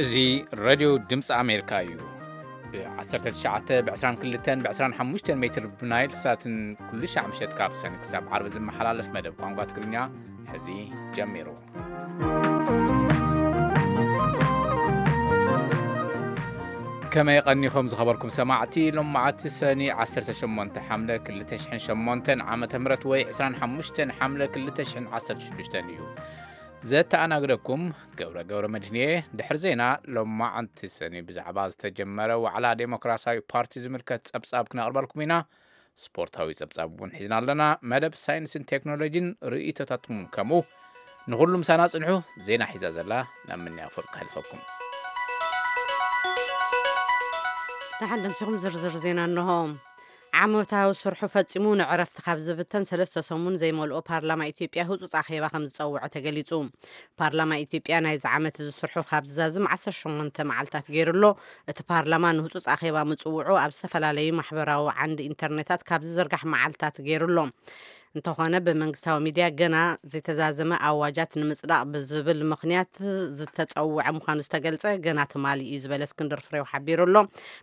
እዚ ሬድዮ ድምፂ ኣሜሪካ እዩ። ብ19፣ ብ22፣ ብ25 ሜትር ብናይል ሳትን ኩሉ ሻዕ ምሸት ካብ ሰኒ ክሳብ ዓርቢ ዝመሓላለፍ መደብ ቋንቋ ትግርኛ ሕዚ ጀሚሩ። ከመይ ቀኒኹም ዝኸበርኩም ሰማዕቲ? ሎማዓቲ ሰኒ 18 ሓምለ 2008 ዓመተ ምህረት ወይ 25 ሓምለ 2016 እዩ። ዘተኣናግደኩም ገብረ ገብረ መድህንየ። ድሕሪ ዜና ሎማዓንቲ ሰኒ ብዛዕባ ዝተጀመረ ዋዕላ ዴሞክራሲያዊ ፓርቲ ዝምልከት ጸብጻብ ክነቕርበልኩም ኢና። ስፖርታዊ ጸብጻብ እውን ሒዝና ኣለና። መደብ ሳይንስን ቴክኖሎጂን ርእይቶታትኩም ከምኡ። ንኹሉ ምሳና ጽንሑ። ዜና ሒዛ ዘላ ናብ ምንያ ፍርቅ ከሕልፈኩም። ደሓን ደምሲኹም ዝርዝር ዜና እንሆ። ዓመታዊ ስርሑ ፈጺሙ ንዕረፍቲ ካብ ዝብተን ሰለስተ ሰሙን ዘይመልኦ ፓርላማ ኢትዮጵያ ህጹጽ ኣኼባ ከም ዝጸውዐ ተገሊጹ። ፓርላማ ኢትዮጵያ ናይዚ ዓመት እዚ ስርሑ ካብ ዝዛዝም 18 መዓልታት ገይሩ ኣሎ። እቲ ፓርላማ ንህጹጽ ኣኼባ ምጽውዑ ኣብ ዝተፈላለዩ ማሕበራዊ ዓንዲ ኢንተርኔታት ካብ ዝዝርጋሕ መዓልታት ገይሩ ኣሎ። እንተኾነ ብመንግስታዊ ሚድያ ገና ዘይተዛዘመ ኣዋጃት ንምጽዳቕ ብዝብል ምኽንያት ዝተጸውዐ ምዃኑ ዝተገልጸ ገና ትማሊ እዩ ዝበለ እስክንድር ፍሬው ሓቢሩ ኣሎ።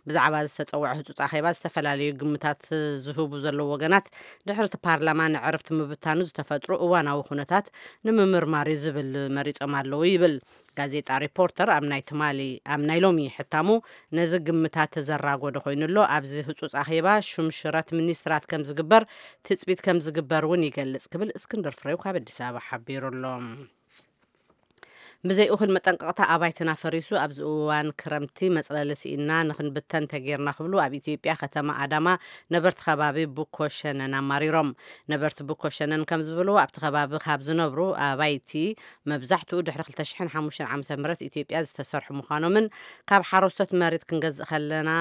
ብዛዕባ ዝተጸውዐ ህጹጽ ኣኼባ ዝተፈላለዩ ግምታት ዝህቡ ዘለዉ ወገናት ድሕሪ እቲ ፓርላማ ንዕርፍቲ ምብታኑ ዝተፈጥሩ እዋናዊ ኩነታት ንምምርማር እዩ ዝብል መሪጾም ኣለዉ ይብል። ጋዜጣ ሪፖርተር ኣብ ናይ ትማሊ ኣብ ናይ ሎሚ ሕታሙ ነዚ ግምታት ዘራጎደ ኮይኑ ኣሎ። ኣብዚ ህጹጽ ኣኼባ ሹም ሽረት ሚኒስትራት ከም ዝግበር ትጽቢት ከም ዝግበር እውን ይገልጽ ክብል እስክንድር ፍሬው ካብ ኣዲስ ኣበባ ሓቢሩ ኣሎ። ብዘይ እኹል መጠንቀቕታ ኣባይትና ፈሪሱ ኣብዚ እዋን ክረምቲ መጽለሊ ስኢና ንኽንብተን ተጌርና ክብሉ ኣብ ኢትዮጵያ ከተማ ኣዳማ ነበርቲ ከባቢ ቡኮ ሸነን ኣማሪሮም። ነበርቲ ቡኮ ሸነን ከም ዝብልዎ ኣብቲ ከባቢ ካብ ዝነብሩ ኣባይቲ መብዛሕትኡ ድሕሪ 2005 ዓመተ ምህረት ኢትዮጵያ ዝተሰርሑ ምዃኖምን ካብ ሓረስቶት መሬት ክንገዝእ ከለና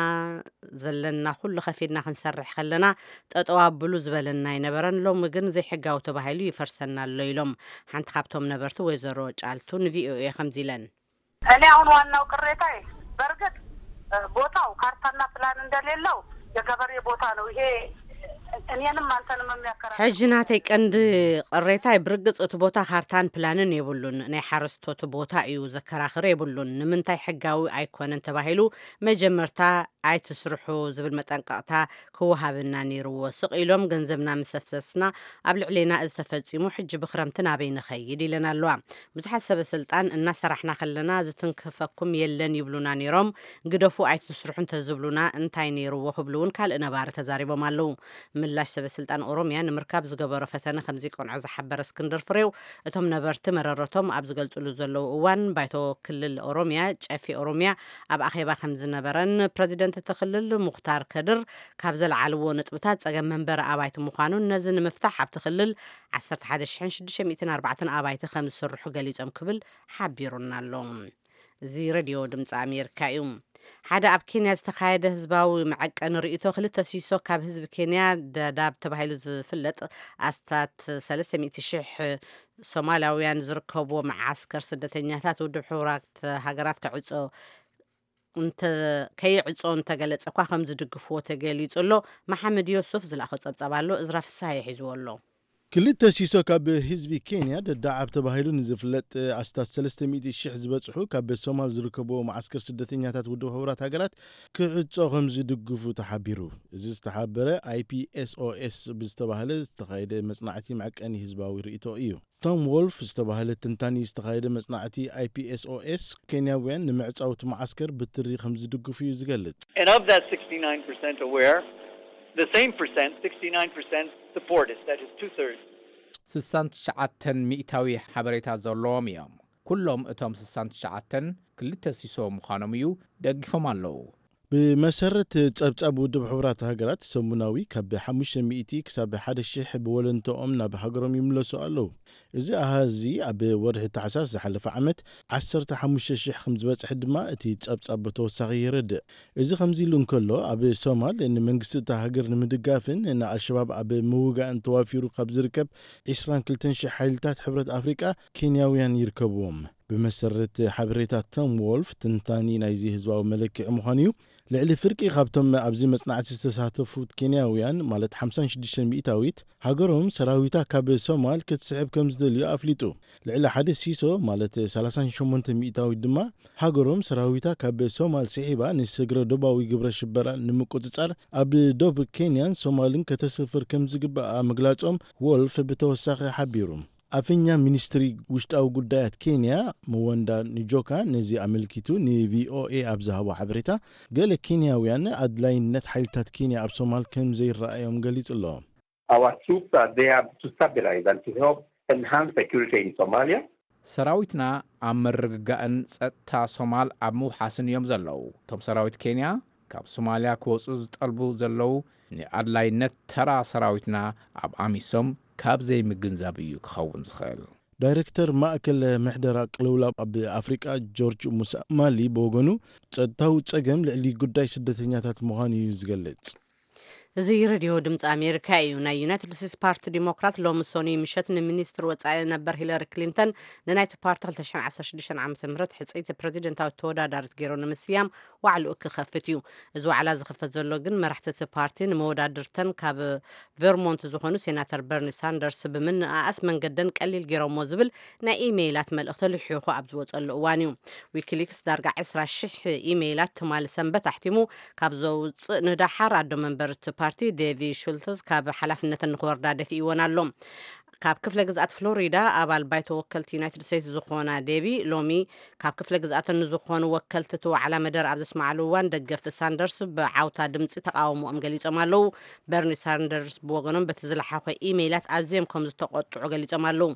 ዘለና ኩሉ ከፊልና ክንሰርሕ ከለና ጠጠው ኣብሉ ዝበለና ኣይነበረን። ሎሚ ግን ዘይሕጋዊ ተባሂሉ ይፈርሰና ኣሎ ኢሎም። ሓንቲ ካብቶም ነበርቲ ወይዘሮ ጫልቱ ንቪኦኤ ከምዚ ኢለን። እኔ አሁን ዋናው ቅሬታዬ በእርግጥ ቦታው ካርታና ፕላን እንደሌለው የገበሬ ቦታ ነው። ይሄ እኔንም አንተንም የሚያከራክር ሕጂ ናተይ ቀንዲ ቅሬታይ ብርግጽ እቲ ቦታ ካርታን ፕላንን የብሉን። ናይ ሓረስቶት ቦታ እዩ፣ ዘከራኽር የብሉን። ንምንታይ ሕጋዊ ኣይኮነን ተባሂሉ መጀመርታ ኣይትስርሑ ዝብል መጠንቀቕታ ክወሃበና ነይርዎ። ስቕ ኢሎም ገንዘብና ምስ ኣፍሰስና ኣብ ልዕሌና እዚ ተፈጺሙ፣ ሕጂ ብኽረምቲ ናበይ ንኸይድ ኢለን ኣለዋ። ብዙሓት ሰበ ስልጣን እናሰራሕና ከለና ዝትንክፈኩም የለን ይብሉና ነይሮም። ግደፉ ኣይትስርሑ እንተዝብሉና እንታይ ነይርዎ ክብሉ እውን ካልእ ነባሪ ተዛሪቦም ኣለዉ። ምላሽ ሰበ ስልጣን ኦሮሚያ ንምርካብ ዝገበሮ ፈተነ ከም ዘይቀንዖ ዝሓበረ እስክንድር ፍሬው፣ እቶም ነበርቲ መረረቶም ኣብ ዝገልጽሉ ዘለዉ እዋን ባይቶ ክልል ኦሮሚያ ጨፌ ኦሮሚያ ኣብ ኣኼባ ከም ዝነበረን ፕረዚደንት እቲ ክልል ሙኽታር ከድር ካብ ዘልዓልዎ ነጥብታት ጸገም መንበሪ ኣባይቲ ምዃኑን ነዚ ንምፍታሕ ኣብቲ ክልል 11,604 ኣባይቲ ከም ዝስርሑ ገሊጾም ክብል ሓቢሩና ኣሎ። እዚ ሬድዮ ድምፂ ኣሜሪካ እዩ። ሓደ ኣብ ኬንያ ዝተኻየደ ህዝባዊ መዐቀኒ ርእይቶ ክልተ ሲሶ ካብ ህዝቢ ኬንያ ዳዳብ ተባሂሉ ዝፍለጥ ኣስታት 300,000 ሶማላውያን ዝርከብዎ መዓስከር ስደተኛታት ውድብ ሕቡራት ሃገራት ክዕጾ እንተ- ከይዕጾ እንተገለጸ እኳ ከም ዝድግፍዎ ተገሊጹ ኣሎ። መሓመድ ዮሱፍ ዝለኣኾ ጸብጻብ ኣሎ። እዝራ ፍስሃ ይሒዝዎ ኣሎ። ክልተ ሲሶ ካብ ህዝቢ ኬንያ ደዳዓብ ተባሂሉ ንዝፍለጥ ኣስታት 300,000 ዝበጽሑ ካብ ሶማል ዝርከብዎ መዓስከር ስደተኛታት ውድብ ሕቡራት ሃገራት ክዕጾ ከም ዝድግፉ ተሓቢሩ። እዚ ዝተሓበረ ኣይፒኤስኦኤስ ብዝተባህለ ዝተኻየደ መጽናዕቲ መዐቀኒ ህዝባዊ ርእይቶ እዩ። ቶም ዎልፍ ዝተባህለ ትንታኒ ዝተኻየደ መጽናዕቲ ኣይፒኤስኦኤስ ኬንያውያን ንምዕጻው እቲ መዓስከር ብትሪ ከም ዝድግፉ እዩ ዝገልጽ። And of that sixty-nine percent aware, the same percent, sixty-nine percent support it. That is two thirds. 69% ሓበሬታ ዘለዎም እዮም። ኩሎም እቶም 69 ክልተ ሲሶ ምዃኖም እዩ ደጊፎም ኣለዉ። ብመሰረት ጸብጻብ ውድብ ሕቡራት ሃገራት ሰሙናዊ ካብ 500 ክሳብ 1,000 ብወለንተኦም ናብ ሃገሮም ይምለሱ ኣለዉ። እዚ ኣሃዚ ኣብ ወርሒ ታሕሳስ ዝሓለፈ ዓመት 15,000 ከም ዝበጽሐ ድማ እቲ ጸብጻብ ብተወሳኺ የረድእ። እዚ ከምዚ ኢሉ እንከሎ ኣብ ሶማል ንመንግስቲ እታ ሃገር ንምድጋፍን ንኣልሸባብ ኣብ ምውጋእን ተዋፊሩ ካብ ዝርከብ 22,000 ሓይልታት ሕብረት ኣፍሪቃ ኬንያውያን ይርከብዎም። ብመሰረት ሓበሬታ ቶም ዎልፍ፣ ትንታኒ ናይዚ ህዝባዊ መለክዒ ምዃኑ እዩ። ልዕሊ ፍርቂ ካብቶም ኣብዚ መጽናዕቲ ዝተሳተፉት ኬንያውያን፣ ማለት ሓምሳን ሽዱሽተን ሚእታዊት፣ ሃገሮም ሰራዊታ ካብ ሶማል ክትስሕብ ከም ዝደልዩ ኣፍሊጡ። ልዕሊ ሓደ ሲሶ፣ ማለት ሰላሳን ሸሞንተ ሚእታዊት ድማ፣ ሃገሮም ሰራዊታ ካብ ሶማል ስሒባ ንስግረ ዶባዊ ግብረ ሽበራ ንምቁጽጻር ኣብ ዶብ ኬንያን ሶማልን ከተሰፍር ከም ዝግባኣ ምግላጾም ዎልፍ ብተወሳኺ ሓቢሩ። ኣፈኛ ሚኒስትሪ ውሽጣዊ ጉዳያት ኬንያ፣ መወንዳ ንጆካ፣ ነዚ ኣመልኪቱ ንቪኦኤ ኣብ ዝሃቦ ሓበሬታ፣ ገለ ኬንያውያን ኣድላይነት ሓይልታት ኬንያ ኣብ ሶማል ከም ዘይረኣዮም ገሊጹ ኣሎ። Our troops are there to stabilize and to help enhance security in Somalia. ሰራዊትና ኣብ ምርግጋእን ጸጥታ ሶማል ኣብ ምውሓስን እዮም ዘለዉ። እቶም ሰራዊት ኬንያ ካብ ሶማልያ ክወጹ ዝጠልቡ ዘለዉ፣ ንኣድላይነት ተራ ሰራዊትና ኣብ ኣሚሶም ካብ ዘይምግንዛብ እዩ ክኸውን ዝኽእል። ዳይሬክተር ማእከል ምሕደራ ቅልውላው ኣብ ኣፍሪቃ ጆርጅ ሙሳማሊ ብወገኑ፣ ጸጥታዊ ጸገም ልዕሊ ጉዳይ ስደተኛታት ምዃኑ እዩ ዝገልጽ። እዚ ሬድዮ ድምፂ ኣሜሪካ እዩ። ናይ ዩናይትድ ስቴትስ ፓርቲ ዲሞክራት ሎሚ ሶኒ ምሸት ንሚኒስትር ወፃኢ ነበር ሂለሪ ክሊንተን ንናይቲ ፓርቲ ክልተ ሽሕን ዓሰርተ ሽዱሽተን ዓመተ ምህረት ሕፅይቲ ፕሬዚደንታዊ ተወዳዳሪት ገይሩ ንምስያም ዋዕልኡ ክኸፍት እዩ። እዚ ዋዕላ ዝኽፈት ዘሎ ግን መራሕቲ እቲ ፓርቲ ንመወዳድርተን ካብ ቨርሞንት ዝኾኑ ሴናተር በርኒ ሳንደርስ ብምንኣኣስ መንገደን ቀሊል ገይሮሞ ዝብል ናይ ኢሜይላት መልእኽቲ ልሒኹ ኣብ ዝወፀሉ እዋን እዩ። ዊኪሊክስ ዳርጋ ዕስራ ሽሕ ኢሜይላት ትማሊ ሰንበት ኣሕቲሙ ካብ ዘውፅእ ንደሓር ኣዶ መንበር እቲ ፓርቲ ዴቪ ሹልትዝ ካብ ሓላፍነተን ንክወርዳ ደፊእወን ኣሎ። ካብ ክፍለ ግዝኣት ፍሎሪዳ ኣባል ባይቶ ወከልቲ ዩናይትድ ስቴትስ ዝኾና ዴቢ ሎሚ ካብ ክፍለ ግዝኣተን ንዝኾኑ ወከልቲ እቲ ዋዕላ መደረ ኣብ ዘስማዕሉ እዋን ደገፍቲ ሳንደርስ ብዓውታ ድምፂ ተቃውሞኦም ገሊፆም ኣለዉ። በርኒ ሳንደርስ ብወገኖም በቲ ዝለሓኾ ኢሜይላት ኣዝዮም ከም ዝተቆጥዑ ገሊፆም ኣለዉ።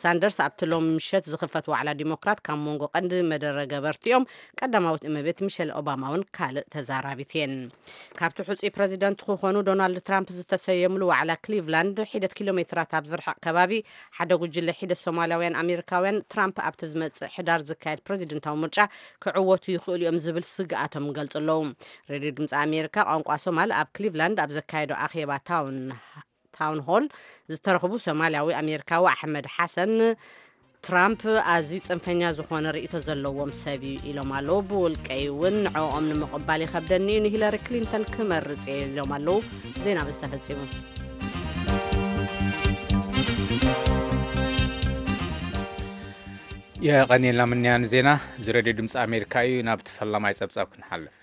ሳንደርስ ኣብቲ ሎም ምሸት ዝኽፈት ዋዕላ ዲሞክራት ካብ መንጎ ቀንዲ መደረ ገበርቲኦም ቀዳማዊት እመቤት ሚሸል ኦባማ እውን ካልእ ተዛራቢት እየን። ካብቲ ሕፁይ ፕረዚደንት ክኾኑ ዶናልድ ትራምፕ ዝተሰየምሉ ዋዕላ ክሊቭላንድ ሒደት ኪሎ ሜትራት ኣብ ዝርሕቕ ከባቢ ሓደ ጉጅለ ሒደት ሶማላውያን ኣሜሪካውያን ትራምፕ ኣብቲ ዝመፅእ ሕዳር ዝካየድ ፕረዚደንታዊ ምርጫ ክዕወቱ ይኽእሉ እዮም ዝብል ስግኣቶም ገልፁ ኣለዉ። ሬድዮ ድምፂ ኣሜሪካ ቋንቋ ሶማል ኣብ ክሊቭላንድ ኣብ ዘካየዶ ኣኼባ ታውን ታውን ሆል ዝተረኽቡ ሶማልያዊ ኣሜሪካዊ ኣሕመድ ሓሰን ትራምፕ ኣዝዩ ፅንፈኛ ዝኾነ ርእይቶ ዘለዎም ሰብ እዩ ኢሎም ኣለዉ። ብውልቀይ እውን ንዕኦም ንምቕባል ይኸብደኒ እዩ፣ ንሂለሪ ክሊንተን ክመርፅ እየ ኢሎም ኣለዉ። ዜና በዚ ተፈፂሙ። የቐንየልና ምንያን ዜና እዚ ሬድዮ ድምፂ ኣሜሪካ እዩ። ናብቲ ፈላማይ ፀብፃብ ክንሓልፍ።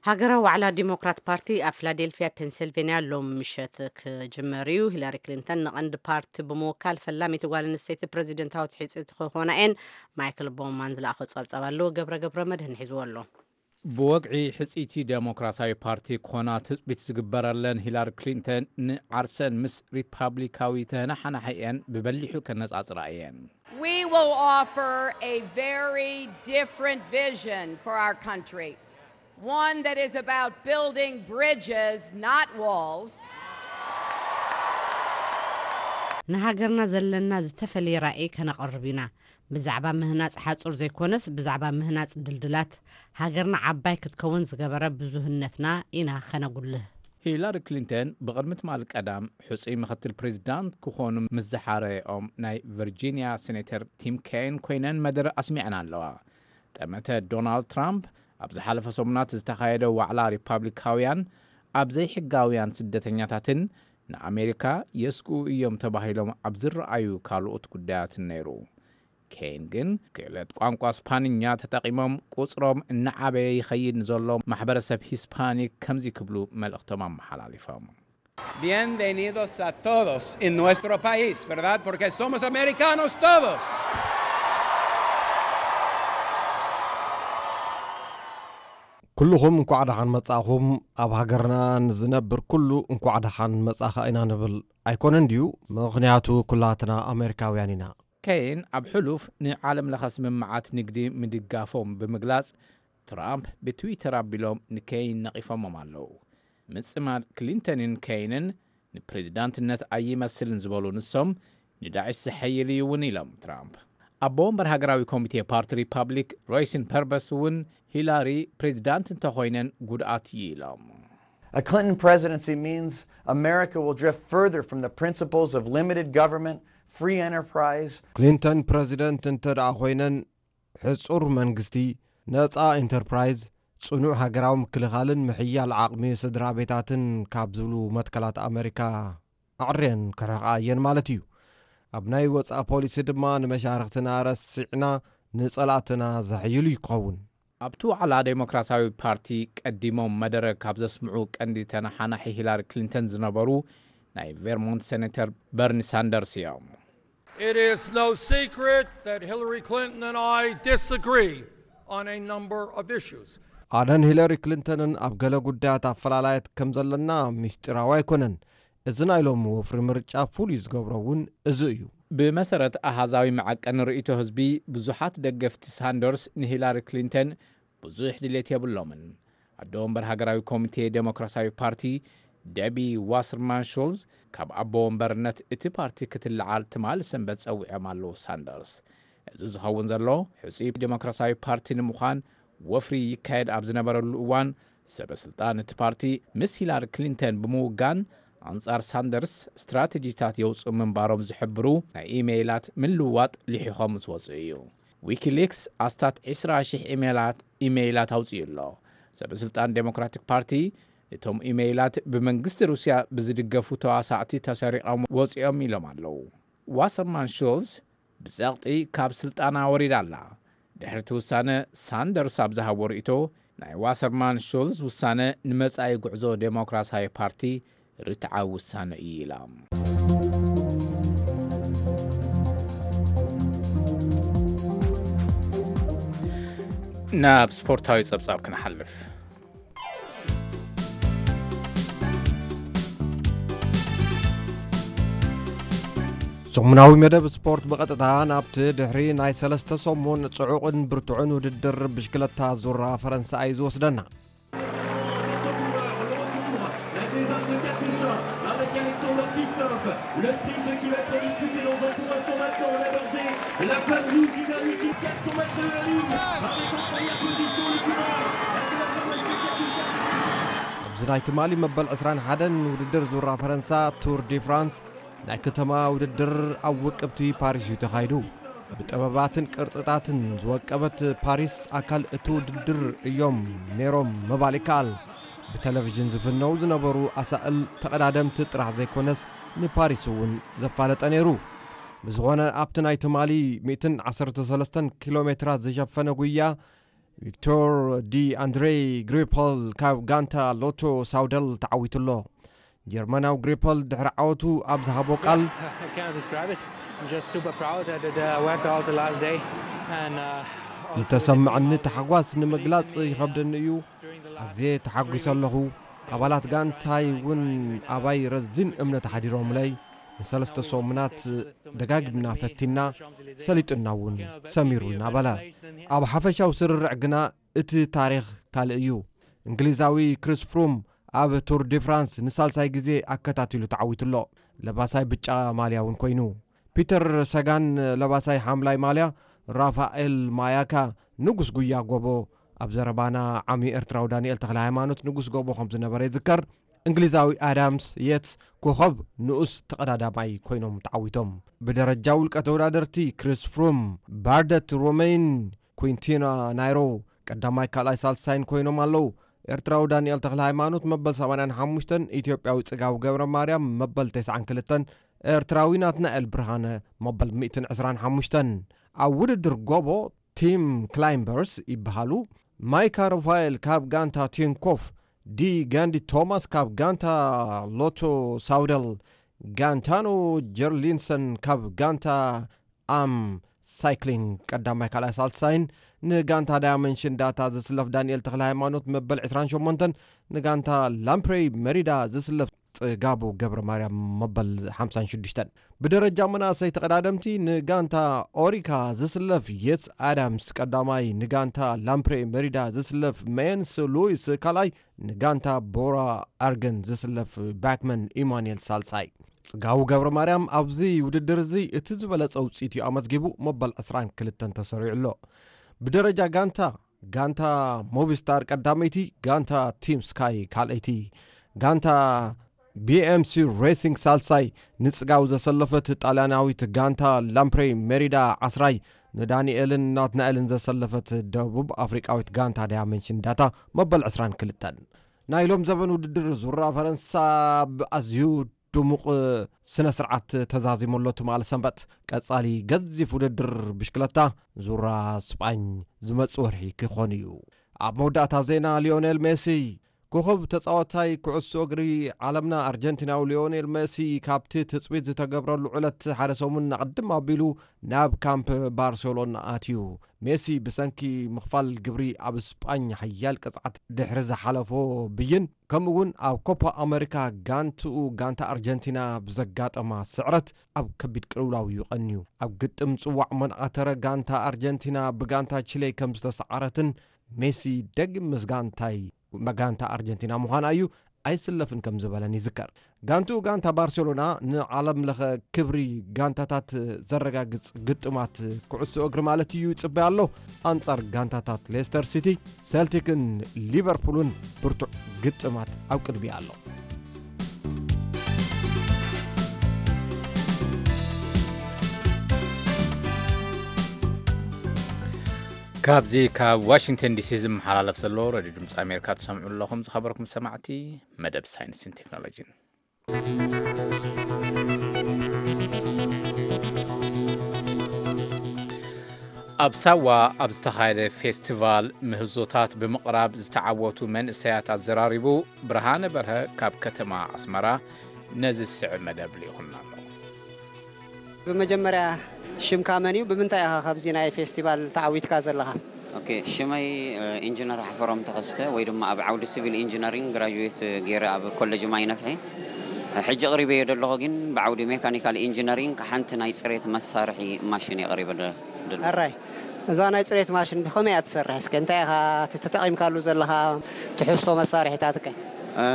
ሃገራዊ ዋዕላ ዲሞክራት ፓርቲ ኣብ ፊላዴልፊያ ፔንሲልቬንያ ሎም ምሸት ክጅመር እዩ። ሂላሪ ክሊንተን ንቐንዲ ፓርቲ ብምውካል ፈላሚቲ ጓል ኣንስተይቲ ፕሬዚደንታዊት ሕፅቲ ክኾና እየን። ማይክል ቦውማን ዝለኣኸ ፀብፀብ ኣለዎ። ገብረ ገብረ መድህን ሒዝዎ ኣሎ። ብወግዒ ሕፅይቲ ዴሞክራሲያዊ ፓርቲ ክኾና ትፅቢት ዝግበረለን ሂላሪ ክሊንተን ንዓርሰን ምስ ሪፓብሊካዊ ተናሓናሒ እየን ብበሊሑ ከነፃፅራ እየን። We will offer a very different vision for our country, one that is about building bridges, not walls. ንሃገርና ዘለና ዝተፈለየ ራእይ ከነቐርብ ኢና። ብዛዕባ ምህናፅ ሓፁር ዘይኮነስ ብዛዕባ ምህናፅ ድልድላት፣ ሃገርና ዓባይ ክትከውን ዝገበረ ብዙህነትና ኢና ከነጉልህ። ሂላሪ ክሊንተን ብቕድሚ ትማሊ ቀዳም ሕፁይ ምኽትል ፕሬዚዳንት ክኾኑ ምስ ዝሓረኦም ናይ ቨርጂንያ ሴኔተር ቲም ኬን ኮይነን መደረ ኣስሚዐን ኣለዋ። ጠመተ ዶናልድ ትራምፕ ኣብ ዝሓለፈ ሰሙናት ዝተኻየደ ዋዕላ ሪፓብሊካውያን ኣብ ዘይሕጋውያን ስደተኛታትን ንኣሜሪካ የስግኡ እዮም ተባሂሎም ኣብ ዝረኣዩ ካልኦት ጉዳያትን ነይሩ። ኬን ግን ክእለት ቋንቋ ስፓንኛ ተጠቒሞም ቁፅሮም እናዓበየ ይኸይድ ንዘሎ ማሕበረሰብ ሂስፓኒክ ከምዚ ክብሉ መልእኽቶም ኣመሓላሊፎም። Bienvenidos a todos en nuestro país, ¿verdad? Porque somos americanos todos. ኩልኹም እንኳዕ ደሓን መጻእኹም። ኣብ ሃገርና ንዝነብር ኩሉ እንኳዕ ደሓን መጻኻ ኢና ንብል። ኣይኮነን ድዩ? ምኽንያቱ ኩላትና ኣሜሪካውያን ኢና። ኬን ኣብ ሕሉፍ ንዓለም ለኸ ስምምዓት ንግዲ ምድጋፎም ብምግላጽ፣ ትራምፕ ብትዊተር ኣቢሎም ንኬን ነቒፎሞም ኣለዉ። ምጽማድ ክሊንተንን ኬንን ንፕሬዚዳንትነት ኣይመስልን ዝበሉ ንሶም፣ ንዳዕሽ ዝሐይል እዩ እውን ኢሎም ትራምፕ። ኣቦ ወንበር ሃገራዊ ኮሚቴ ፓርቲ ሪፓብሊክ ሮይሲን ፐርበስ እውን ሂላሪ ፕሬዚዳንት እንተኾይነን ጉድኣት እዩ ኢሎም። A Clinton presidency means America will drift further from the principles of limited government, free enterprise, ክሊንተን ፕረዚደንት እንተ ደኣ ኮይነን፣ ሕጹር መንግስቲ፣ ነጻ ኢንተርፕራይዝ፣ ጽኑዕ ሃገራዊ ምክልኻልን ምሕያል ዓቕሚ ስድራ ቤታትን ካብ ዝብሉ መትከላት ኣመሪካ ኣዕርየን ክርሕቓ እየን ማለት እዩ። ኣብ ናይ ወጻኢ ፖሊሲ ድማ ንመሻርኽትና ረሲዕና ንጸላእትና ዘሕይሉ ይኸውን። ኣብቲ ዋዕላ ዴሞክራሲያዊ ፓርቲ ቀዲሞም መደረ ካብ ዘስምዑ ቀንዲ ተነሓናሒ ሂላሪ ክሊንተን ዝነበሩ ናይ ቬርሞንት ሴኔተር በርኒ ሳንደርስ እዮም። It is no secret that Hillary Clinton and I disagree on a number of issues. ኣነን ሂለሪ ክሊንተንን ኣብ ገለ ጉዳያት ኣፈላላየት ከም ዘለና ምስጢራዊ ኣይኮነን። እዚ ናይ ሎሚ ወፍሪ ምርጫ ፍሉይ ዝገብሮ እውን እዚ እዩ። ብመሰረት ኣሃዛዊ መዐቀኒ ርእይቶ ህዝቢ፣ ብዙሓት ደገፍቲ ሳንደርስ ንሂላሪ ክሊንተን ብዙሕ ድሌት የብሎምን። ኣደ ወንበር ሃገራዊ ኮሚቴ ዴሞክራሲያዊ ፓርቲ ደቢ ዋሰርማን ሹልዝ ካብ ኣቦ ወንበርነት እቲ ፓርቲ ክትለዓል ትማሊ ሰንበት ጸዊዖም ኣለዉ። ሳንደርስ፣ እዚ ዝኸውን ዘሎ ሕጹይ ዴሞክራሲያዊ ፓርቲ ንምዃን ወፍሪ ይካየድ ኣብ ዝነበረሉ እዋን፣ ሰበ ስልጣን እቲ ፓርቲ ምስ ሂላሪ ክሊንተን ብምውጋን ኣንጻር ሳንደርስ ስትራተጂታት የውጽኡ ምንባሮም ዝሕብሩ ናይ ኢሜይላት ምልውዋጥ ልሒኾም ምስ ወጹ እዩ። ዊኪሊክስ ኣስታት ዕስራ ሽሕ ኢሜይላት ኢሜይላት ኣውጺኡ ኣሎ። ሰበ ስልጣን ዴሞክራቲክ ፓርቲ፣ እቶም ኢሜይላት ብመንግስቲ ሩስያ ብዝድገፉ ተዋሳእቲ ተሰሪቖም ወጺኦም ኢሎም ኣለዉ። ዋሰርማን ሹልዝ ብጸቕጢ ካብ ስልጣና ወሪዳ ኣላ። ድሕሪ እቲ ውሳነ፣ ሳንደርስ ኣብ ዝሃቦ ርእይቶ፣ ናይ ዋሰርማን ሹልዝ ውሳነ ንመጻኢ ጉዕዞ ዴሞክራሲያዊ ፓርቲ ርትዓዊ ውሳነ እዩ ኢላ። ናብ ስፖርታዊ ጸብጻብ ክንሓልፍ። ሰሙናዊ መደብ ስፖርት ብቐጥታ ናብቲ ድሕሪ ናይ ሰለስተ ሰሙን ጽዑቕን ብርቱዕን ውድድር ብሽክለታ ዙራ ፈረንሳ እዩ ዝወስደና። La désarme de Katusha avec Alexander Christophe. Le sprint qui va être disputé dans un court instant maintenant. On a abordé la panne rouge du dernier kilomètre, quatre cents mètres de la ligne. Avec en première position le Cubain, Alexander Katusha. ኣብዚ ናይ ትማሊ መበል ዕስራን ሓደን ውድድር ዙራ ፈረንሳ ቱር ዲ ፍራንስ ናይ ከተማ ውድድር ኣብ ውቅብቲ ፓሪስ እዩ ተኻይዱ። ብጥበባትን ቅርጽታትን ዝወቀበት ፓሪስ ኣካል እቲ ውድድር እዮም ነይሮም ምባል ይከኣል። ብቴሌቪዥን ዝፍነው ዝነበሩ ኣሳእል ተቐዳደምቲ ጥራሕ ዘይኮነስ ንፓሪስ እውን ዘፋለጠ ነይሩ። ብዝኾነ ኣብቲ ናይ ትማሊ ሚእትን ዓሰርተ ሰለስተን ኪሎ ሜትራት ዝሸፈነ ጉያ ቪክቶር ዲ ኣንድሬ ግሪፖል ካብ ጋንታ ሎቶ ሳውደል ተዓዊቱ ኣሎ። ጀርመናዊ ግሪፖል ድሕሪ ዓወቱ ኣብ ዝሃቦ ቃል I cannot describe it. I'm just super proud that it uh, went out the last day. And uh, also the team ዝተሰምዐኒ how they ታሕጓስ ንምግላጽ believed in me, uh, ይኸብደኒ እዩ። during the last ኣዝየ ተሓጒሰ ኣለኹ። ኣባላት ጋንታይ እውን ኣባይ ረዚን እምነት ሓዲሮምለይ። ንሰለስተ ሰሙናት ደጋጊምና ፈቲና፣ ሰሊጡና እውን ሰሚሩና በለ። ኣብ ሓፈሻዊ ስርርዕ ግና እቲ ታሪኽ ካልእ እዩ። እንግሊዛዊ ክሪስ ፍሩም ኣብ ቱር ዲ ፍራንስ ንሳልሳይ ግዜ ኣከታቲሉ ተዓዊቱ ኣሎ። ለባሳይ ብጫ ማልያ እውን ኮይኑ። ፒተር ሰጋን ለባሳይ ሓምላይ ማልያ፣ ራፋኤል ማያካ ንጉስ ጉያ ጎቦ፣ ኣብ ዘረባና ዓሚ ኤርትራዊ ዳንኤል ተኽለ ሃይማኖት ንጉስ ጎቦ ከም ዝነበረ ይዝከር። እንግሊዛዊ ኣዳምስ የትስ ኮኸብ ንኡስ ተቐዳዳማይ ኮይኖም ተዓዊቶም። ብደረጃ ውልቀ ተወዳደርቲ ክሪስ ፍሩም፣ ባርደት ሮሜይን፣ ኩንቲና ናይሮ ቀዳማይ ካልኣይ ሳልሳይን ኮይኖም ኣለዉ። ኤርትራዊ ዳንኤል ተኽለ ሃይማኖት መበል ሰማንያን ሓሙሽተን፣ ኢትዮጵያዊ ጽጋቡ ገብረ ማርያም መበል ተስዓን ክልተን፣ ኤርትራዊ ናትናኤል ብርሃነ መበል ሚእትን ዕስራን ሓሙሽተን። ኣብ ውድድር ጎቦ ቲም ክላይምበርስ ይበሃሉ። ማይካ ሩፋኤል ካብ ጋንታ ቲንኮፍ፣ ዲ ጋንዲ ቶማስ ካብ ጋንታ ሎቶ ሳውደል፣ ጋንታኖ ጀርሊንሰን ካብ ጋንታ ኣም ሳይክሊንግ ቀዳማይ ካልኣይ ሳልሳይን፣ ንጋንታ ዳያመንሽን ዳታ ዝስለፍ ዳንኤል ተኽለ ሃይማኖት መበል ዕስራን ሸሞንተን፣ ንጋንታ ላምፕሬይ መሪዳ ዝስለፍ ጽጋቡ ገብረ ማርያም መበል ሓምሳን ሽዱሽተን። ብደረጃ መናእሰይ ተቐዳደምቲ ንጋንታ ኦሪካ ዝስለፍ የትስ ኣዳምስ ቀዳማይ፣ ንጋንታ ላምፕሬ መሪዳ ዝስለፍ ሜንስ ሉዊስ ካልኣይ፣ ንጋንታ ቦራ ኣርገን ዝስለፍ ባክመን ኢማኑኤል ሳልሳይ። ጽጋቡ ገብረ ማርያም ኣብዚ ውድድር እዚ እቲ ዝበለጸ ውጽኢት እዩ ኣመዝጊቡ፣ መበል ዕስራን ክልተን ተሰሪዑ ኣሎ። ብደረጃ ጋንታ፣ ጋንታ ሞቪስታር ቀዳመይቲ፣ ጋንታ ቲም ስካይ ካልኣይቲ፣ ጋንታ ቢኤምሲ ሬሲንግ ሳልሳይ፣ ንጽጋቡ ዘሰለፈት ጣልያናዊት ጋንታ ላምፕሬ ሜሪዳ ዓስራይ፣ ንዳንኤልን ናትናኤልን ዘሰለፈት ደቡብ ኣፍሪቃዊት ጋንታ ዳያመንሽን ዳታ መበል ዕስራን ክልተን። ናይ ሎም ዘበን ውድድር ዙራ ፈረንሳ ብኣዝዩ ድሙቕ ስነ ስርዓት ተዛዚሙ ኣሎ ትማሊ ሰንበት። ቀጻሊ ገዚፍ ውድድር ብሽክለታ ዙራ ስጳኝ ዝመጽእ ወርሒ ክኾን እዩ። ኣብ መወዳእታ ዜና ሊዮኔል ሜሲ። ኮኸብ ተጻዋታይ ኩዕሶ እግሪ ዓለምና ኣርጀንቲናዊ ሊዮኔል ሜሲ ካብቲ ትጽቢት ዝተገብረሉ ዕለት ሓደ ሰሙን ኣቕድም ኣቢሉ ናብ ካምፕ ባርሴሎና ኣትዩ። ሜሲ ብሰንኪ ምኽፋል ግብሪ ኣብ ስጳኝ ሓያል ቅጽዓት ድሕሪ ዝሓለፎ ብይን፣ ከምኡ እውን ኣብ ኮፓ ኣመሪካ ጋንትኡ ጋንታ ኣርጀንቲና ብዘጋጠማ ስዕረት ኣብ ከቢድ ቅልውላው እዩ ቀንዩ። ኣብ ግጥም ጽዋዕ መንዓተረ ጋንታ ኣርጀንቲና ብጋንታ ቺሌ ከም ዝተሰዓረትን ሜሲ ደጊም ምስ ጋንታይ መጋንታ ኣርጀንቲና ምዃና እዩ ኣይስለፍን ከም ዝበለን ይዝከር። ጋንትኡ ጋንታ ባርሴሎና ንዓለም ለኸ ክብሪ ጋንታታት ዘረጋግጽ ግጥማት ኩዕሶ እግሪ ማለት እዩ ይጽበያ ኣሎ። ኣንጻር ጋንታታት ሌስተር ሲቲ፣ ሴልቲክን ሊቨርፑልን ብርቱዕ ግጥማት ኣብ ቅድሚኣ ኣሎ። ካብዚ ካብ ዋሽንግተን ዲሲ ዝመሓላለፍ ዘሎ ሬድዮ ድምፂ ኣሜሪካ ትሰምዑ ኣለኹም። ዝኸበርኩም ሰማዕቲ፣ መደብ ሳይንስን ቴክኖሎጂን። ኣብ ሳዋ ኣብ ዝተኻየደ ፌስቲቫል ምህዞታት ብምቕራብ ዝተዓወቱ መንእሰያት ኣዘራሪቡ ብርሃነ በርሀ ካብ ከተማ ኣስመራ ነዚ ዝስዕብ መደብ ልኢኹልና ኣሎ። ብመጀመርያ ሽምካ መን እዩ? ብምንታይ ኢኻ ካብዚ ናይ ፌስቲቫል ተዓዊትካ ዘለኻ? ኦኬ፣ ሽመይ፣ እ፣ ኢንጂነር ሓፈሮም ተኸስተ ወይ ድማ ኣብ ዓውዲ ሲቪል ኢንጂነሪንግ ግራጁዌት ገይረ ኣብ ኮሌጅ ማይ ነፍሒ። ሕጂ ኣቕሪበዮ ዘለኹ ግን ብዓውዲ ሜካኒካል ኢንጂነሪንግ ሓንቲ ናይ ጽሬት መሳርሒ ማሽን የቕሪበ ደ-፣ ደሎ። ኣራይ፣ እዛ ናይ ጽሬት ማሽን ብኸመይ እያ ትሰርሕ? እስከ እንታይ ኢኻ ተ-፣ ተጠቒምካሉ ዘለኻ ትሕዝቶ መሳርሒታትከ?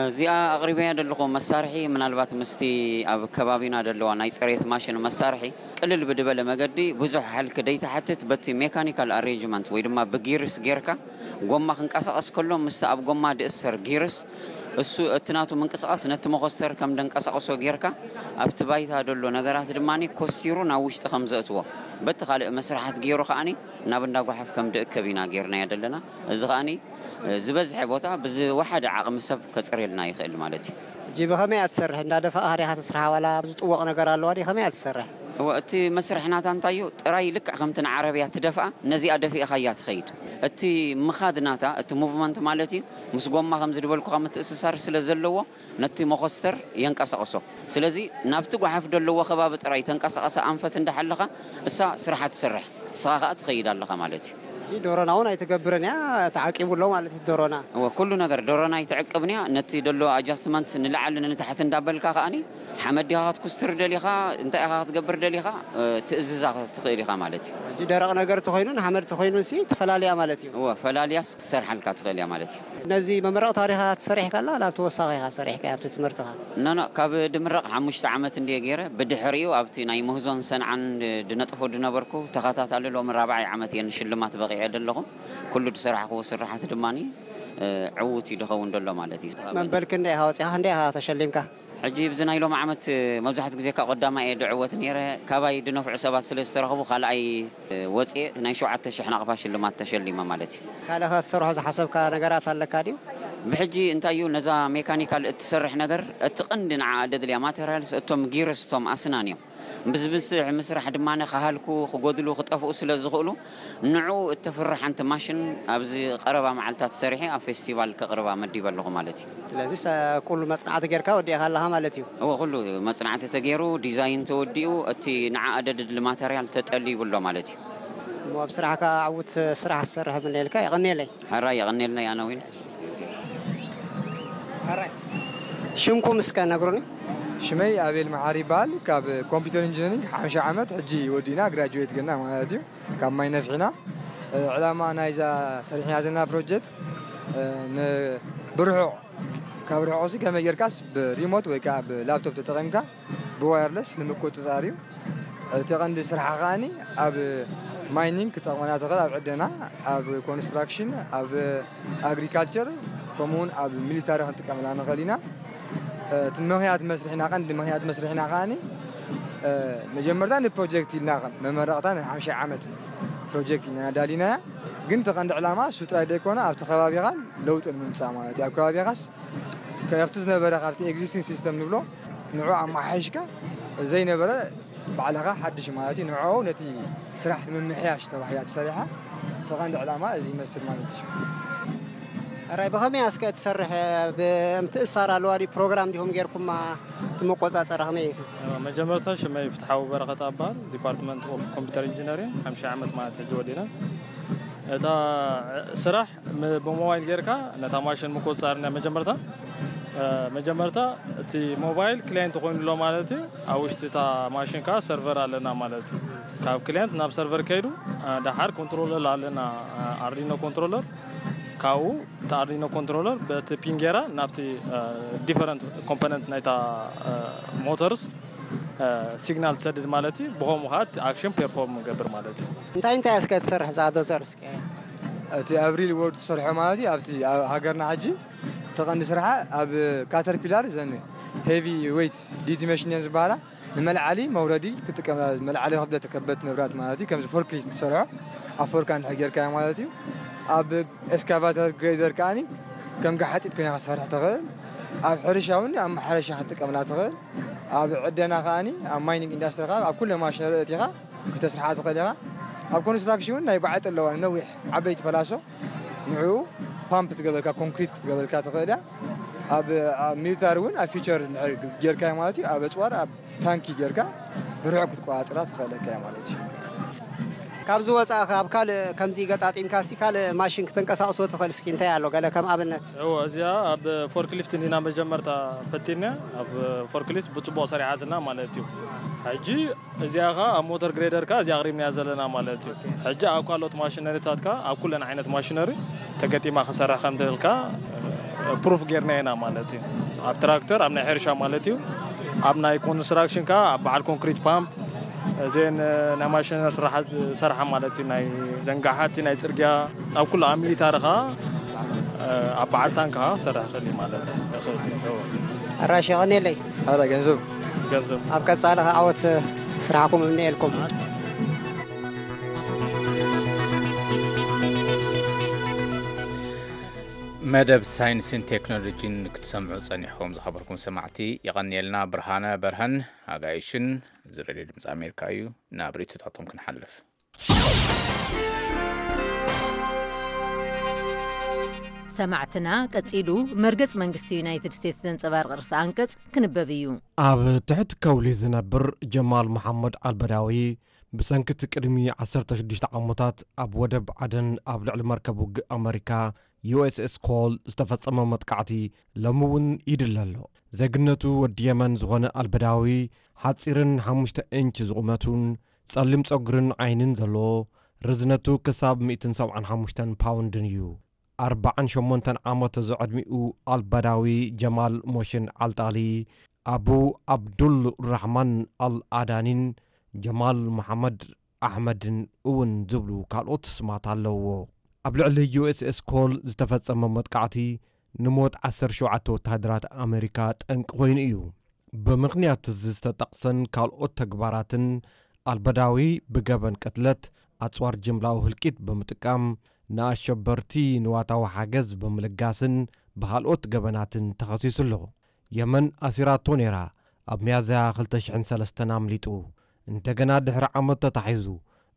እዚኣ ኣቕሪበያ ዘለኹ መሳርሒ ምናልባት ምስቲ ኣብ ከባቢና ዘለዋ ናይ ጽሬት ማሽን መሳርሒ ቅልል ብድበለ መገዲ ብዙሕ ሃልኪ ደይትሓትት በቲ ሜካኒካል ኣሬንጅመንት ወይ ድማ ብጊርስ ጌርካ ጎማ ክንቀሳቐስ ከሎ ምስቲ ኣብ ጎማ ድእሰር ጊርስ እሱ እቲ ናቱ ምንቅስቓስ ነቲ መኾስተር ከም ደንቀሳቕሶ ጌርካ ኣብቲ ባይታ ዘሎ ነገራት ድማ ኮሲሩ ናብ ውሽጢ ከም ዘእትዎ በቲ ካልእ መስርሓት ገይሩ ከኣኒ ናብ እንዳ ጓሓፍ ከም ድእከብ ኢና ጌርናዮ ዘለና። እዚ ከኣኒ ዝበዝሐ ቦታ ብዝወሓደ ዓቕሚ ሰብ ከጽርየልና ይኽእል ማለት እዩ። ሕጂ ብኸመይ እያ ትሰርሕ? እንዳደፋእኻ ዲኻ ተስርሓ ዋላ ዝጥወቕ ነገር ኣለዋ ድዩ? ከመይ እያ ትሰርሕ? እወ፣ እቲ መስርሕ ናታ እንታይ እዩ? ጥራይ ልክዕ ከምቲ ንዓረብያ ትደፍኣ፣ ነዚኣ ደፊእኻ እያ ትኸይድ። እቲ ምኻድ ናታ፣ እቲ ሙቭመንት ማለት እዩ፣ ምስ ጎማ ከም ዝድበልኩኻ ምትእስሳር ስለ ዘለዎ፣ ነቲ መኾስተር የንቀሳቕሶ። ስለዚ ናብቲ ጓሓፍ ዘለዎ ከባቢ ጥራይ ተንቀሳቐሰ ኣንፈት እንዳሓለኻ እሳ ስራሓ ትሰርሕ፣ ንስኻ ከኣ ትኸይድ ኣለኻ ማለት እዩ። ሕጂ ዶሮና እውን ኣይትገብርን እያ፣ ተዓቂቡ ኣሎ ማለት እዩ ዶሮና። እወ፣ ኩሉ ነገር ዶሮና ኣይትዕቅብን እያ። ነቲ ደሎ ኣጃስትመንት ንላዕሊ ንታሕቲ እንዳበልካ ከኣኒ ሓመድ ዲኻ ክትኩስትር ደሊኻ፣ እንታይ ኢኻ ክትገብር ደሊኻ፣ እ፣ ትእዝዛ ትኽእል ኢኻ ማለት እዩ። ሕጂ ደረቕ ነገር ተኾይኑን ሓመድ ተኾይኑን ሲ ትፈላልያ ማለት እዩ። እወ፣ ፈላልያስ ክትሰርሓልካ ትኽእል እያ ማለት እዩ። ነዚ መመረቕ ታሪኻ ትሰርሕ ከላ ናብ ተወሳኺ ኢኻ ሰሪሕካ ኣብቲ ትምህርትኻ? ኖ፣ ኖ፣ ካብ ድምረቕ ሓሙሽተ ዓመት እንድየ ገይረ። ብድሕሪኡ ኣብቲ ናይ ምህዞን ሰንዓን ድ-፣ ድነጥፎ ድነበርኩ ተኸታታሊ ሎሚ ራብዓይ ዓመት እየ ንሽልማት በቒዐ ደለኹ። ኩሉ ዝሰራሕክዎ ስራሓት ድማኒ፣ እ፣ ዕዉት እዩ ድኸውን ደሎ ማለት እዩ። መበል ክንደይ ኢኻ ወፂኻ? ክንደይ ኢኻ ተሸሊምካ? ሕጂ ብዚ ናይ ሎሚ ዓመት መብዛሕትኡ ግዜ ካብ ቀዳማይ እየ ድዕወት ነይረ። ካባይ ድነፍዑ ሰባት ስለ ዝተረኽቡ ካልኣይ ወፅየ ናይ ሸውዓተ ሽሕ ናቕፋ ሽልማት ተሸሊመ ማለት እዩ። ካልእ ከ ትሰርሖ ዝሓሰብካ ነገራት ኣለካ ድዩ? ብሕጂ እንታይ እዩ ነዛ ሜካኒካል እትሰርሕ ነገር እቲ ቀንዲ ንዓ ደድልያ ማቴሪያልስ እቶም ጊርስ እቶም ኣስናን እዮም። ብዝብስሕ ምስራሕ ድማ ክሃልኩ፣ ክጎድሉ፣ ክጠፍኡ ስለ ዝኽእሉ ንዑ እተፍርሕ ሓንቲ ማሽን ኣብዚ ቀረባ መዓልታት ሰሪሐ ኣብ ፌስቲቫል ከቕርባ መዲበ ኣለኹ ማለት እዩ። ስለዚ ሰ-፣ ኩሉ መጽናዕቲ ጌርካ ወዲእኻ ኣለኻ ማለት እዩ። እወ፣ ኩሉ መጽናዕቲ ተገይሩ፣ ዲዛይን ተወዲኡ፣ እቲ ንዓ ኣደድሊ ማተርያል ተጠሊቡ ኣሎ ማለት እዩ። እሞ ኣብ ስራሕካ ዕዉት ስራሕ ትሰርሕ ምነየልካ፣ የቐንየለይ። ሕራይ የቐንየልና ኣነ እውን። ሕራይ። ሽምኩም እስከ ነግሩኒ። ሽመይ ኣቤል መሓሪ ይበሃል። ካብ ኮምፒውተር ኢንጂነሪንግ ሓምሻ ዓመት ሕጂ ወዲእና ግራጁዌት ገና ማለት እዩ። ካብ ማይ ነፍሒና፣ እ፣ ዕላማ ናይዛ ሰሪሕና ዘለና ፕሮጀክት፣ እ፣ ን-፣ ብርሑቕ፣ ካብ ርሑቕ ሲ ከመይ ጌርካስ ብሪሞት ወይ ከኣ ብላፕቶፕ ተጠቒምካ ብዋየርለስ ንምቁጽጻር እዩ። እቲ ቀንዲ ስራሓ ከኣኒ ኣብ ማይኒንግ ክጠቕመና ትኽእል፣ ኣብ ዕደና፣ ኣብ ኮንስትራክሽን፣ ኣብ ኣግሪካልቸር፣ ከምኡውን ኣብ ሚሊታሪ ክንጥቀመላ ንኽእል ኢና። እቲ ምኽንያት መስርሕና፣ ቀንዲ ምኽንያት መስርሕና ከኣኒ፣ እ፣ መጀመርታ ንፕሮጀክት ኢልና መመረቕታ ንሓምሻይ ዓመት ፕሮጀክት ኢና ኣዳሊናያ። ግን እቲ ቀንዲ ዕላማ እሱ ጥራይ ዘይኮነ ኣብቲ ከባቢኻን ለውጢ ንምምፃእ ማለት እዩ። ኣብ ከባቢኻስ ካብቲ ዝነበረ ካብቲ ኤግዚስቲንግ ሲስተም ንብሎ ንዑ ኣመሓይሽካ ዘይነበረ ባዕልኻ ሓድሽ ማለት እዩ። ንዕኡ ነቲ ስራሕ ንምምሕያሽ ተባሂላ ተሰሪሓ። እቲ ቀንዲ ዕላማ እዚ ይመስል ማለት እዩ። ራይ ብኸመይ ኣስከ ትሰርሕ? ብምትእሳር ኣለዋ ድዩ? ፕሮግራም ዲኹም ጌርኩማ? እቲ መቆፃፀሪ ከመይ እዩ? መጀመርታ ሽመይ ፍትሓዊ በረኸት ኣባል ዲፓርትመንት ኦፍ ኮምፒውተር ኢንጂነሪንግ ሓምሳ ዓመት ማለት ሕጂ ወዲና። እታ ስራሕ ም- ብሞባይል ጌርካ ነታ ማሽን ምቁፅፃር ና መጀመርታ መጀመርታ እቲ ሞባይል ክላይንት ኮይኑ ኣሎ ማለት እዩ። ኣብ ውሽጢ እታ ማሽን ከዓ ሰርቨር ኣለና ማለት እዩ። ካብ ክላይንት ናብ ሰርቨር ከይዱ ደሓር ኮንትሮለር ኣለና፣ ኣርዲኖ ኮንትሮለር። ካብኡ እቲ ኣርዲኖ ኮንትሮለር በቲ ፒን ጌራ ናብቲ ዲፈረንት ኮምፖነንት ናይታ ሞተርስ ሲግናል ትሰድድ ማለት እዩ። ብኸምኡ ከዓ እቲ ኣክሽን ፔርፎርም ገብር ማለት እዩ። እንታይ እንታይ እስከ ትሰርሕ እዛ ዶዘር እስከ? እቲ ኣብ ሪል ወርድ ትሰርሖ ማለት እዩ። ኣብቲ ኣብ ሃገርና ሕጂ ተቐንዲ ስርሓ ኣብ ካተርፒላር ዘን ሄቪ ዌይት ዲቲ መሽን እየን ዝበሃላ። ንመልዓሊ መውረዲ ክጥቀም፣ መልዓሊ ክብደት ከበድቲ ንብራት ማለት እዩ። ከምዚ ፎርክሊፍት ትሰርሖ ኣብ ፎርካን ጌርካዮ ማለት እዩ። ኣብ ኤስካቫተር ግሬደር ከዓኒ ከም ገሓጢት ኮይና ክትሰርሕ ትኽእል። ኣብ ሕርሻ እውን ኣብ ማሕረሻ ክትጥቀምላ ትኽእል። ኣብ ዕደና ከዓኒ ኣብ ማይኒንግ ኢንዳስትሪ ከኣ ኣብ ኩለ ማሽነሪ እቲኻ ክተስርሓ ትኽእል ኢኻ። ኣብ ኮንስትራክሽን እውን ናይ ባዕጢ ኣለዋ ነዊሕ ዓበይቲ ፐላሶ ንዕኡ ፓምፕ ትገበልካ ኮንክሪት ክትገበልካ ትኽእል እያ። ኣብ ኣብ ሚሊታሪ እውን ኣብ ፊቸር ጌርካዮ ማለት እዩ። ኣብ ኣፅዋር ኣብ ታንኪ ጌርካ ብርሑቕ ክትቆፃፀራ ትኽእለካ እያ ማለት እዩ። ካብዚ ወፃእ ኣብ ካልእ ከምዚ ገጣጢምካ ሲ ካልእ ማሽን ክተንቀሳቕሶ ትኽእል እስኪ እንታይ ኣሎ ገለ ከም ኣብነት? እወ እዚኣ ኣብ ፎርክሊፍት እንዲና መጀመርታ ፈቲና ኣብ ፎርክሊፍት ብፅቡቕ ሰሪሓትና ማለት እዩ። ሕጂ እዚኣ ኸ ኣብ ሞተር ግሬደር ከ እዚኣ ኣቕሪብናያ ዘለና ማለት እዩ። ሕጂ ኣብ ካልኦት ማሽነሪታት ከ ኣብ ኩለን ዓይነት ማሽነሪ ተገጢማ ክሰርሕ ከም ትኽእል ከ ፕሩፍ ጌርና ኢና ማለት እዩ። ኣብ ትራክተር ኣብ ናይ ሕርሻ ማለት እዩ። ኣብ ናይ ኮንስትራክሽን ከ ኣብ በዓል ኮንክሪት ፓምፕ እዘን ናይ ማሽነሪ ስራሓት ዝሰርሓ ማለት እዩ። ናይ ዘንጋሓቲ ናይ ፅርግያ ኣብ ኩሉ ኣብ ሚሊታሪ ከ ኣብ በዓል ታንክ ከ ክሰርሕ ይኽእል እዩ ማለት እዩ። ኣራሽ የቐንየለይ። ኣረ ገንዘብ ገንዘብ ኣብ ቀፃሊ ከ ዓወት ስራሕኩም እምነየልኩም። መደብ ሳይንስን ቴክኖሎጂን ክትሰምዑ ጸኒሕኩም ዝኸበርኩም ሰማዕቲ የቐንየልና። ብርሃነ በርሀን ኣጋይሽን እዚ ሬድዮ ድምፂ ኣሜሪካ እዩ። ናብ ርእይቶታቶም ክንሓልፍ። ሰማዕትና ቀጺሉ መርገጽ መንግስቲ ዩናይትድ ስቴትስ ዘንጸባርቕ ርእሰ ኣንቀጽ ክንበብ እዩ። ኣብ ትሕቲ ከውሊ ዝነብር ጀማል መሓመድ ኣልበዳዊ ብሰንኪ እቲ ቅድሚ ዓሰርተ ሽዱሽተ ዓመታት ኣብ ወደብ ዓደን ኣብ ልዕሊ መርከብ ውግእ ኣመሪካ ዩ ኤስ ኤስ ኮል ዝተፈጸመ መጥቃዕቲ ሎሚ እውን ይድለ ኣሎ። ዜግነቱ ወዲ የመን ዝኾነ ኣልበዳዊ ሓጺርን ሓሙሽተ ኢንች ዝቑመቱን ጸሊም ጸጉርን ዓይንን ዘለዎ፣ ርዝነቱ ክሳብ ሚእትን ሰብዓን ሓሙሽተን ፓውንድን እዩ። ኣርባዓን ሸሞንተን ዓመት ዝዕድሚኡ ኣልበዳዊ ጀማል ሞሽን ዓልጣሊ፣ ኣቡ ኣብዱል ራሕማን ኣል ኣዳኒን ጀማል መሓመድ ኣሕመድን እውን ዝብሉ ካልኦት ስማት ኣለውዎ። ኣብ ልዕሊ ዩ ኤስ ኤስ ኮል ዝተፈጸመ መጥቃዕቲ ንሞት ዓሰርተ ሸውዓተ ወተሃደራት ኣመሪካ ጠንቂ ኮይኑ እዩ። ብምኽንያት እዚ ዝተጠቕሰን ካልኦት ተግባራትን ኣልበዳዊ ብገበን ቅትለት፣ ኣጽዋር ጅምላዊ ህልቂት ብምጥቃም፣ ንኣሸበርቲ ንዋታዊ ሓገዝ ብምልጋስን ብኻልኦት ገበናትን ተኸሲሱ ኣሎ። የመን ኣሲራቶ ነይራ። ኣብ ሚያዝያ ክልተ ሽሕን ሰለስተን ኣምሊጡ። እንደገና ድሕሪ ዓመት ተታሒዙ።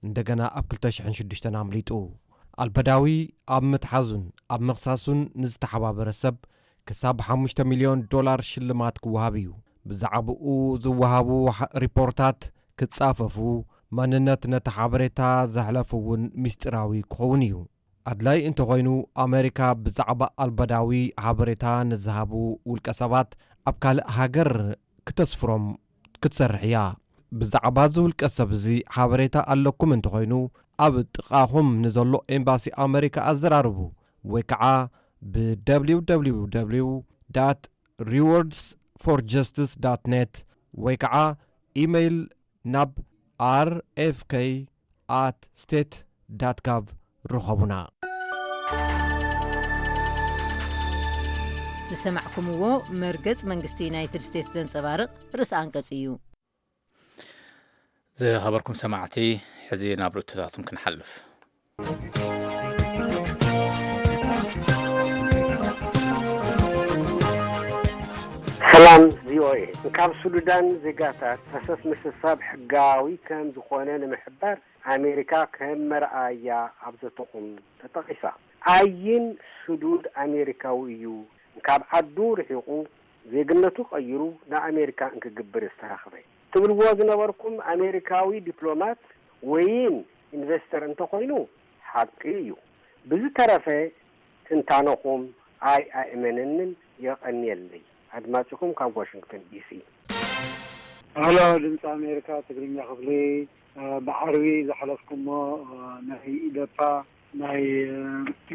እንደገና ኣብ ክልተ ሽሕን ሽዱሽተን ኣምሊጡ። ኣልበዳዊ ኣብ ምትሓዙን ኣብ ምኽሳሱን ንዝተሓባበረ ሰብ ክሳብ ሓሙሽተ ሚልዮን ዶላር ሽልማት ክወሃብ እዩ። ብዛዕባኡ ዝወሃቡ ሪፖርታት ክጻፈፉ፣ መንነት ነቲ ሓበሬታ ዘሕለፉ እውን ምስጢራዊ ክኸውን እዩ። ኣድላይ እንተኾይኑ፣ ኣመሪካ ብዛዕባ ኣልበዳዊ ሓበሬታ ንዝሃቡ ውልቀ ሰባት ኣብ ካልእ ሃገር ክተስፍሮም ክትሰርሕ እያ። ብዛዕባ እዚ ውልቀ ሰብ እዚ ሓበሬታ ኣለኩም እንተኾይኑ፣ ኣብ ጥቓኹም ንዘሎ ኤምባሲ ኣመሪካ ኣዘራርቡ፣ ወይ ከዓ ብ www rewards for justice net ወይ ከዓ ኢመይል ናብ R F K at state dot gov ርኸቡና። ዝሰማዕኩምዎ መርገጽ መንግስቲ ዩናይትድ ስቴትስ ዘንጸባርቕ ርእሰ ኣንቀጽ እዩ። ዝኸበርኩም ሰማዕቲ፣ ሕዚ ናብ ርእቶታቶም ክንሓልፍ። ሰላም ቪኦኤ። ካብ ሱዳን ዜጋታት ፈሰስ ምስሳብ ሕጋዊ ከም ዝኾነ ንምሕባር ኣሜሪካ ከም መርኣያ ኣብ ዘተኹም ተጠቒሳ። ኣይን ሱዱድ ኣሜሪካዊ እዩ። ካብ ዓዱ ርሒቑ ዜግነቱ ቀይሩ ንኣሜሪካ እንክግብር ዝተረኽበ ትብልዎ ዝነበርኩም ኣሜሪካዊ ዲፕሎማት ወይን ኢንቨስተር እንተኾይኑ ሓቂ እዩ። ብዝተረፈ ትንታነኹም ኣይ ኣእመነንን። የቐንየለይ። ኣድማጭኹም ካብ ዋሽንግተን ዲሲ። ሄሎ፣ ድምፂ ኣሜሪካ ትግርኛ ክፍሊ። ብዓርቢ ዝሓለፍኩሞ ናይ ኢደፓ ናይ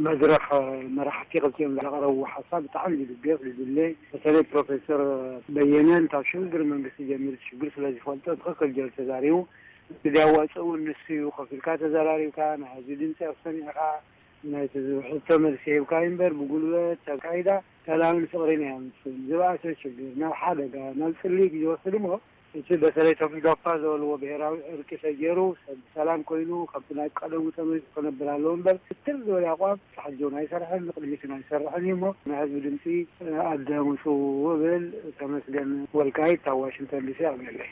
መድረኽ መራሕቲ ክልቲኦም ዘቕረብዎ ሓሳብ ብጣዕሚ ዝድገፍ ዝድለ፣ በተለይ ፕሮፌሰር በየነ ካብ ሽግግር መንግስቲ ጀሚሩ ሽግር ስለ ዝፈልጦ ትኽክል ገይሩ ተዛሪቡ። እቲ ዘዋፅእ እውን ንሱ እዩ። ኮፍ ኢልካ ተዘራሪብካ ናይ ህዝቢ ድምፂ ኣሰሚዕካ ናይቲ ዝውሕዝቶ መልሲ ሂብካ እምበር ብጉልበት ኣካይዳ ሰላምን ፍቕርን እያ ምስል ዝበኣሰ ሽግር ናብ ሓደጋ ናብ ፅልኢት እዩ ዝወስድ እሞ እቲ በተለይ ቶም ኢዶፓ ዝበልዎ ብሄራዊ ዕርቂ ተገይሩ ሰብ ብሰላም ኮይኑ ከምቲ ናይ ቀደሙ ተመሊሱ ክነብር ኣለዎ እምበር ክትር ዝበለ ኣቋም ተሓጆን ኣይሰርሐን ንቅድሚትን ኣይሰርሐን እዩ እሞ ናይ ህዝቢ ድምፂ ኣዳምፁ እብል። ተመስገን ወልቃይት ካብ ዋሽንግተን ዲሲ ኣቕኒለይ።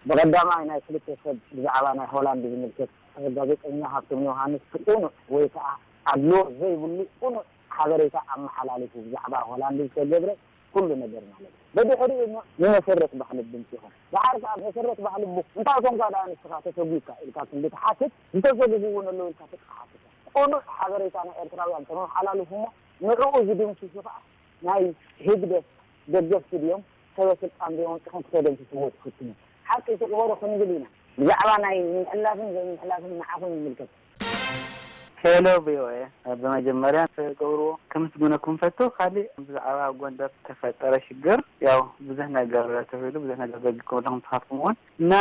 ብቐዳማይ ናይ ክልተ ሰብ ብዛዕባ ናይ ሆላንድ ዝምልከት ጋዜጠኛ ሃብቶም ዮሃንስ ቅኑዕ ወይ ከዓ ኣድልዎ ዘይብሉ ቅኑዕ ሓበሬታ ኣመሓላሊፉ ብዛዕባ ሆላንድ ዝተገብረ ኩሉ ነገር ማለት እዩ። ብድሕሪኡ እሞ ንመሰረት ባህሊ ድምፂ ይኹን ደሓር ከዓ መሰረት ባህሊ ቡ እንታይ ኮንካ ደኣ ንስኻ ተሰጒግካ ኢልካ ክንዲ ትሓትት ዝተሰጉጉ እውን ኣለዉ ኢልካ ተትሓትት ቅኑዕ ሓበሬታ ናይ ኤርትራውያን ተመሓላልፉ እሞ ንዕኡ ዝድምስሱ ከዓ ናይ ህግደፍ ደገፍቲ ድዮም ሰበ ስልጣን ዶ ይኾን ጥቕሚ ክተደምስስዎ ትፍትኑ? ሓቂ ስቕ በሉ ክንብል ኢና። ብዛዕባ ናይ ምሕላፍን ዘይምሕላፍን ንዓኹም ይምልከት። ሄሎ ቪኦኤ፣ ብመጀመርያ ትገብርዎ ከምስግነኩም ፈቱ። ካሊእ ብዛዕባ ጎንደር ተፈጠረ ሽግር ያው ብዙሕ ነገር ተብሂሉ ብዙሕ ነገር ዘጊኩም ኣለኹም ንስኻትኩም እውን እና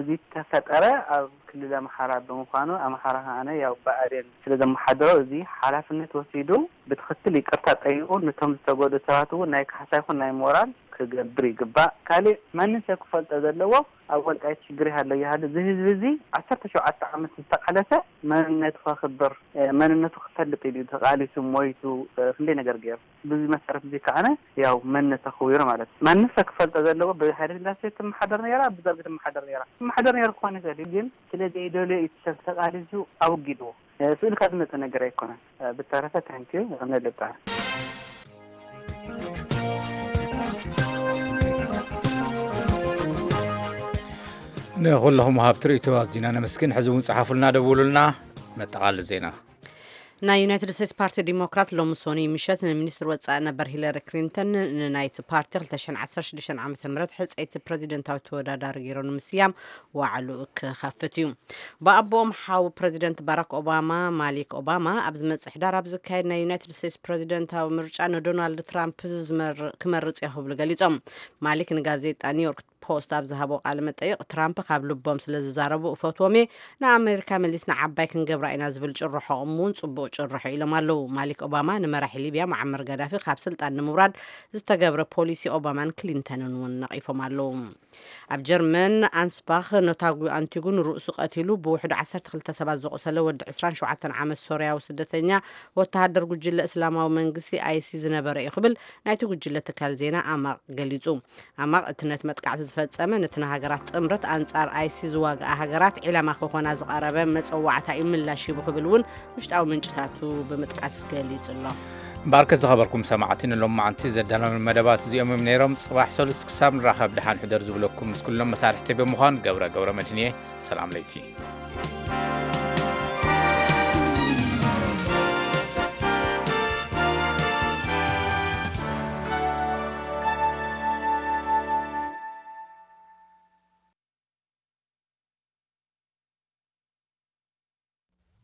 እዚ ተፈጠረ ኣብ ክልል ኣምሓራ ብምዃኑ ኣምሓራ ከዓነ ያው ብኣዴን ስለ ዘመሓደሮ እዚ ሓላፍነት ወሲዱ ብትኽክል ይቅርታ ጠይቁ ነቶም ዝተጎድኡ ሰባት እውን ናይ ካሕሳ ይኹን ናይ ሞራል ክገብር ይግባእ። ካሊእ ማንም ሰብ ክፈልጦ ዘለዎ ኣብ ወልቃይት ሽግር ይሃሎ ይሃሉ እዚ ህዝቢ እዚ ዓሰርተ ሸውዓተ ዓመት ዝተቃለሰ መንነቱ ከኽብር መንነቱ ክፈልጥ ኢሉ ተቃሊሱ ሞይቱ ክንደይ ነገር ገይሩ። ብዚ መሰረት እዚ ከዓነ ያው መንነት ተኽዊሩ ማለት እዩ። ማንም ሰብ ክፈልጦ ዘለዎ ብሃይለ ስላሴ ትመሓደር ነይራ ብደርጊ ትመሓደር ነይራ ትመሓደር ነይሩ ክኾን ይኽእል እዩ ግን ስለ ዘይደልዮ እዩ ሰብ ተቃሊሱ ኣወጊድዎ። ስእልካ ዝመፀ ነገር ኣይኮነን። ብተረፈ ታንኪዩ ይቕነልጣ። ንኹለኹም ወሃብቲ ርእይቶ ኣዚና ነመስግን። ሕዚ እውን ጸሓፉልና፣ ደውሉልና። መጠቓለሊ ዜና። ናይ ዩናይትድ ስቴትስ ፓርቲ ዲሞክራት ሎሚ ሶኒ ምሸት ንሚኒስትር ወፃኢ ነበር ሂለሪ ክሊንተን ንናይቲ ፓርቲ ክልተ ሽሕን ዓሰርተ ሽዱሽተን ዓመተ ምህረት ሕፀይቲ ፕረዚደንታዊ ተወዳዳሪ ገይሩ ንምስያም ዋዕሉ ክኸፍት እዩ። ብኣቦኦም ሓው ፕረዚደንት ባራክ ኦባማ ማሊክ ኦባማ ኣብ ዝመፅእ ሕዳር ኣብ ዝካየድ ናይ ዩናይትድ ስቴትስ ፕረዚደንታዊ ምርጫ ንዶናልድ ትራምፕ ክመርፅ እዮ ክብሉ ገሊፆም። ማሊክ ንጋዜጣ ኒውዮርክ ፖስት ኣብ ዝሃቦ ቃለ መጠይቕ ትራምፕ ካብ ልቦም ስለ ዝዛረቡ እፈትዎም እየ፣ ንኣሜሪካ መሊስና ዓባይ ክንገብራ ኢና ዝብል ጭርሖኦም እውን ፅቡቕ ጭርሖ ኢሎም ኣለዉ። ማሊክ ኦባማ ንመራሒ ሊብያ ሙዓመር ጋዳፊ ካብ ስልጣን ንምውራድ ዝተገብረ ፖሊሲ ኦባማን ክሊንተንን እውን ነቒፎም ኣለዉ። ኣብ ጀርመን ኣንስባኽ ነታጒ ኣንቲጉ ንርእሱ ቀቲሉ ብውሕዱ ዓሰርተ ክልተ ሰባት ዘቑሰለ ወዲ ዕስራን ሸውዓተን ዓመት ሶርያዊ ስደተኛ ወተሃደር ጉጅለ እስላማዊ መንግስቲ ኣይሲ ዝነበረ እዩ ክብል ናይቲ ጉጅለ ትካል ዜና ኣማቕ ገሊጹ። ኣማቕ እቲ ነቲ መጥቃዕቲ ዝፈጸመ ነቲ ንሃገራት ጥምረት ኣንጻር ኣይሲ ዝዋግኣ ሃገራት ዒላማ ክኾና ዝቐረበ መጸዋዕታ እዩ ምላሽ ሂቡ ክብል እውን ውሽጣዊ ምንጭታቱ ብምጥቃስ ገሊጹ ኣሎ። እምበኣርከ ዝኸበርኩም ሰማዕቲ ንሎማዓንቲ ዘዳለኑ መደባት እዚኦም እዮም ነይሮም። ጽባሕ ሰሉስ ክሳብ ንራኸብ ደሓን ሕደር ዝብለኩም ምስ ኩሎም መሳርሕተይ ብምዃን ገብረ ገብረ መድህን እየ። ሰላም ለይቲ።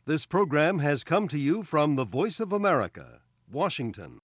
This program has come to you from the Voice of America, Washington.